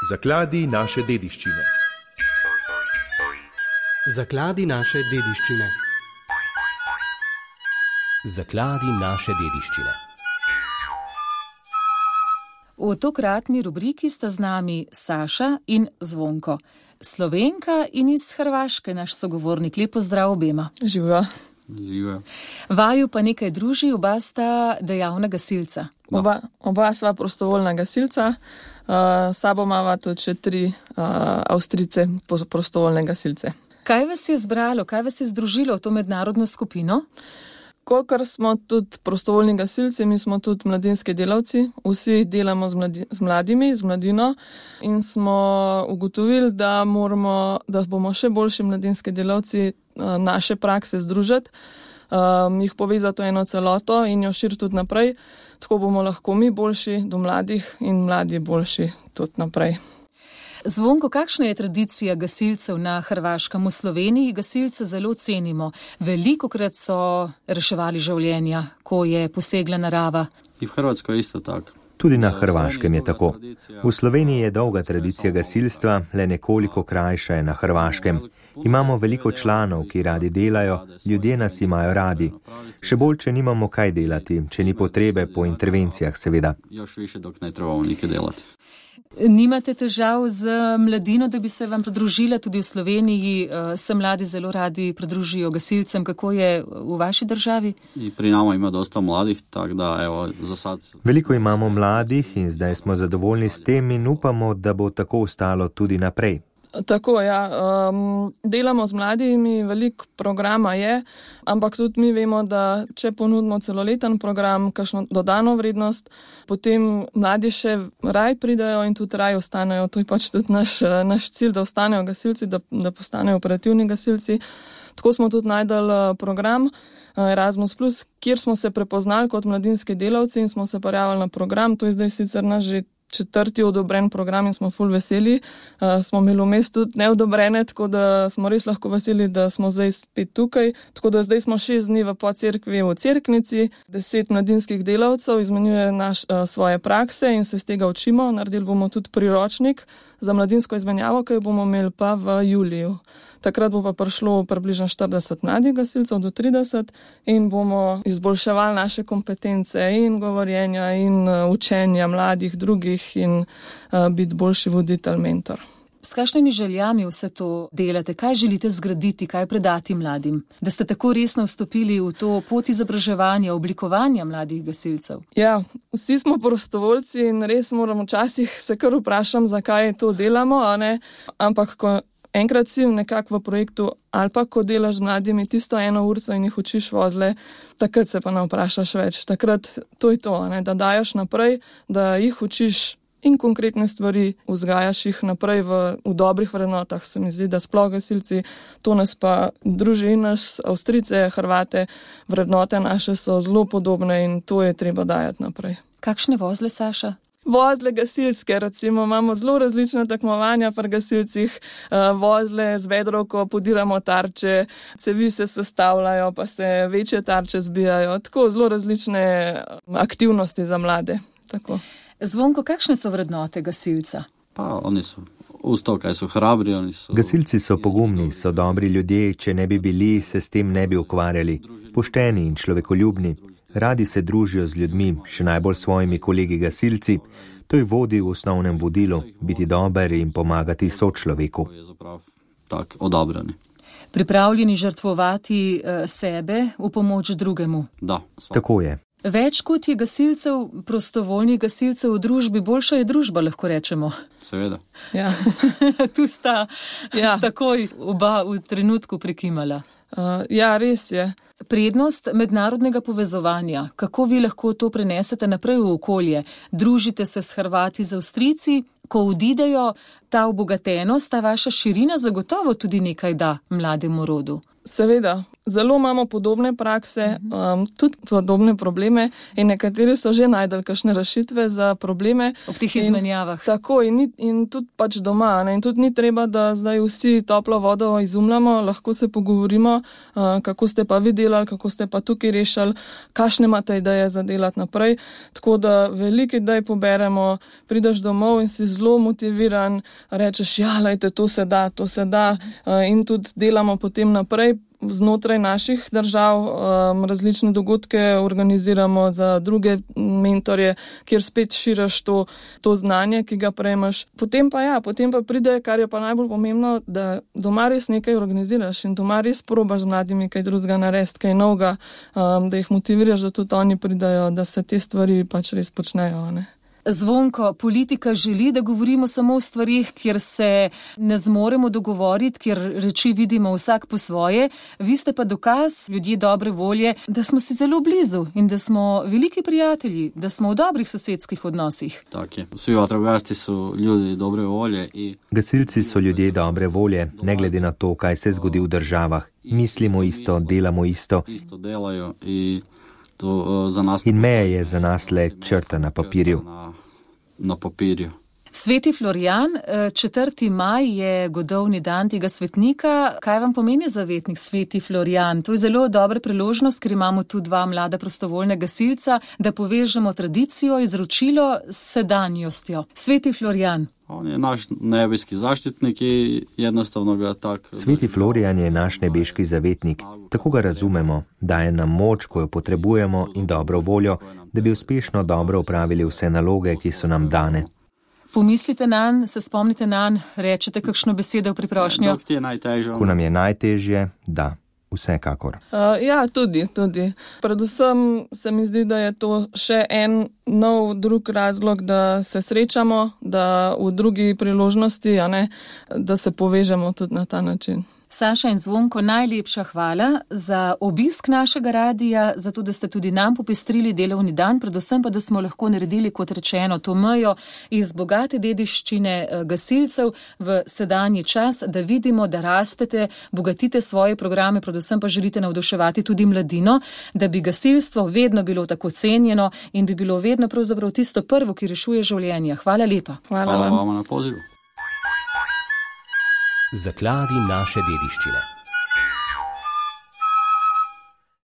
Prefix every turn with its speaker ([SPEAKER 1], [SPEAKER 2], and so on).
[SPEAKER 1] Zakladi naše dediščine.
[SPEAKER 2] Zakladi naše dediščine. Zakladi naše dediščine.
[SPEAKER 3] V tokratni rubriki sta z nami Saša in Zvonko. Slovenka in iz Hrvaške, naš sogovornik. Lep pozdrav obema.
[SPEAKER 4] Živijo.
[SPEAKER 3] Vaju pa nekaj druži, oba sta dejavna gasilca.
[SPEAKER 4] Oba sva prostovoljna gasilca, sabo imava tudi še 3 Avstrijce prostovoljne gasilce.
[SPEAKER 3] Kaj vas je zbralo, kaj vas je združilo v to mednarodno skupino?
[SPEAKER 4] Kolikor smo tudi prostovoljni gasilci, mi smo tudi mladinski delavci, vsi delamo z mladimi, z mladino in smo ugotovili, da bomo še boljši mladinski delavci naše prakse združiti, jih povezati v eno celoto in jo širiti tudi naprej, tako bomo lahko mi boljši do mladih in mladi boljši tudi naprej.
[SPEAKER 3] Zvonko, kakšna je tradicija gasilcev na Hrvaškem? V Sloveniji gasilce zelo cenimo. Velikokrat so reševali življenja, ko je posegla narava.
[SPEAKER 5] In v Hrvatskoj je isto tako.
[SPEAKER 6] Tudi na Hrvaškem je tako. V Sloveniji je dolga tradicija gasilstva, le nekoliko krajša je na Hrvaškem. Imamo veliko članov, ki radi delajo, ljudje nas imajo radi. Še bolj, če nimamo kaj delati, če ni potrebe po intervencijah, seveda.
[SPEAKER 5] Još više dok ne trebamo nikaj delati.
[SPEAKER 3] Nimate težav z mladino, da bi se vam pridružila? Tudi v Sloveniji se mladi zelo radi pridružijo gasilcem. Kako je v vaši državi?
[SPEAKER 5] I pri nama ima dosta mladih, tako da evo za sad...
[SPEAKER 6] Veliko imamo mladih in zdaj smo zadovoljni s tem in upamo, da bo tako ostalo tudi naprej.
[SPEAKER 4] Tako, ja. Delamo z mladimi, veliko programa je, ampak tudi mi vemo, da če ponudimo celoleten program, kakšno dodano vrednost, potem mladi še raj pridajo in tudi raj ostanejo. To je pač tudi naš cilj, da ostanejo gasilci, da postanejo operativni gasilci. Tako smo tudi najdali program Erasmus+, kjer smo se prepoznali kot mladinski delavci in smo se prijavili na program. To je zdaj sicer naš že 4. odobren program in smo ful veseli. Smo imeli vmes tudi neodobrene, tako da smo res lahko veseli, da smo zdaj spet tukaj. Tako da zdaj smo 6 dni v Podcerkvi v Cerknici, 10 mladinskih delavcev izmenjuje svoje prakse in se z tega učimo. Naredili bomo tudi priročnik za mladinsko izmenjavo, ki jo bomo imeli pa v juliju. Takrat bo pa prišlo približno 40 mladih gasilcev do 30 in bomo izboljševali naše kompetence in govorjenja in učenja mladih drugih in biti boljši voditelj, mentor.
[SPEAKER 3] S kakšnimi željami vse to delate? Kaj želite zgraditi, kaj predati mladim? Da ste tako resno vstopili v to pot izobraževanja, oblikovanja mladih gasilcev?
[SPEAKER 4] Ja, vsi smo prostovoljci in res moramo včasih se kar vprašam, zakaj to delamo, a ne? Ampak ko enkrat si nekako v projektu ali pa ko delaš z mladimi tisto 1 urco in jih učiš vozle, takrat se pa ne vprašaš več. Takrat to je to, ne? Da dajaš naprej, da jih učiš in konkretne stvari, vzgajaš jih naprej v dobrih vrednotah. Se mi zdi, da sploh gasilci, to nas pa druži in nas Avstrijce, Hrvate, vrednote naše so zelo podobne in to je treba dajati naprej.
[SPEAKER 3] Kakšne vozle, Saša?
[SPEAKER 4] Vozle gasilske, recimo, imamo zelo različne tekmovanja pri gasilcih, vozle z vedrovko, podiramo tarče, cevi se sestavljajo, pa se večje tarče zbijajo, tako zelo različne aktivnosti za mlade. Tako.
[SPEAKER 3] Zvonko, kakšne so vrednote gasilca?
[SPEAKER 5] Pa oni so uz to, kaj so hrabri, oni so...
[SPEAKER 6] Gasilci so pogumni, so dobri ljudje, če ne bi bili, se s tem ne bi ukvarjali. Pošteni in človekoljubni. Radi se družijo z ljudmi, še najbolj svojimi kolegi gasilci. To je vodi v osnovnem vodilu, biti dober in pomagati sočloveku.
[SPEAKER 5] Tak, odabrani.
[SPEAKER 3] Pripravljeni žrtvovati sebe v pomoč drugemu.
[SPEAKER 5] Da.
[SPEAKER 6] Tako je.
[SPEAKER 3] Več kot je gasilcev, prostovoljnih gasilcev v družbi, boljša je družba, lahko rečemo.
[SPEAKER 5] Seveda.
[SPEAKER 4] Ja.
[SPEAKER 3] Tu sta takoj oba v trenutku prikimala.
[SPEAKER 4] Ja, res je.
[SPEAKER 3] Prednost mednarodnega povezovanja, kako vi lahko to prenesete naprej v okolje? Družite se s Hrvati, z Avstrijci, ko odidejo, ta obogatenost, ta vaša širina zagotovo tudi nekaj da mlademu rodu.
[SPEAKER 4] Seveda, zelo imamo podobne prakse, tudi podobne probleme in nekateri so že najdeli kakšne rešitve za probleme.
[SPEAKER 3] Ob teh izmenjavah.
[SPEAKER 4] Tako in tudi pač doma. Ne? In tudi ni treba, da zdaj vsi toplo vodo izumljamo, lahko se pogovorimo, kako ste pa vi delali, kako ste pa tukaj rešili, kakšne imate ideje za delati naprej. Tako da veliko idej poberemo, prideš domov in si zelo motiviran, rečeš, ja, lejte, to se da in tudi delamo potem naprej. Znotraj naših držav različne dogodke organiziramo za druge mentorje, kjer spet širiš to znanje, ki ga prejmeš. Potem pa pride, kar je pa najbolj pomembno, da doma res nekaj organiziraš in doma res probaš z mladimi kaj drugega narediti, kaj novega, da jih motiviraš, da tudi oni pridajo, da se te stvari pač res počnejo, ne.
[SPEAKER 3] Zvonko, politika želi, da govorimo samo o stvarih, kjer se ne zmoremo dogovoriti, kjer reči vidimo vsak po svoje. Vi ste pa dokaz, ljudje dobre volje, da smo si zelo blizu in da smo veliki prijatelji, da smo v dobrih sosedskih odnosih.
[SPEAKER 5] Tak je. Vsi vatrogasci so ljudi dobre volje.
[SPEAKER 6] Gasilci so ljudje dobre volje, ne glede na to, kaj se zgodi v državah. Mislimo isto, delamo isto.
[SPEAKER 5] Isto delajo in to za nas.
[SPEAKER 6] In meja je za nas le črta na papirju.
[SPEAKER 5] Na papirju.
[SPEAKER 3] Sveti Florijan, 4. maj je godovni dan tega svetnika. Kaj vam pomeni zavetnik Sveti Florijan? To je zelo dobra priložnost, ker imamo tu 2 mlada prostovoljna gasilca, da povežemo tradicijo, izročilo s sedanjostjo. Sveti Florijan.
[SPEAKER 5] On je naš nebeški zaštitnik in jednostavno ga tak.
[SPEAKER 6] Sveti Florijan je naš nebeški zavetnik. Tako ga razumemo, daje nam moč, ko jo potrebujemo, in dobro voljo, da bi uspešno dobro opravili vse naloge, ki so nam dane.
[SPEAKER 3] Pomislite nanj, se spomnite nanj, rečete kakšno besedo v priprošnjo?
[SPEAKER 5] Dok ti je najtežje.
[SPEAKER 6] Ko nam je najtežje, da. Vsekakor.
[SPEAKER 4] Ja, tudi. Predvsem se mi zdi, da je to še en nov drug razlog, da se srečamo, da v drugi priložnosti, da se povežemo tudi na ta način.
[SPEAKER 3] Saša in Zvonko, najlepša hvala za obisk našega radija, za to, da ste tudi nam popestrili delovni dan, predvsem pa, da smo lahko naredili, kot rečeno, to mejo iz bogate dediščine gasilcev v sedanji čas, da vidimo, da rastete, bogatite svoje programe, predvsem pa želite navduševati tudi mladino, da bi gasilstvo vedno bilo tako cenjeno in bi bilo vedno pravzaprav tisto prvo, ki rešuje življenja. Hvala lepa.
[SPEAKER 5] Hvala vam na pozivu.
[SPEAKER 2] Zakladi naše dediščine.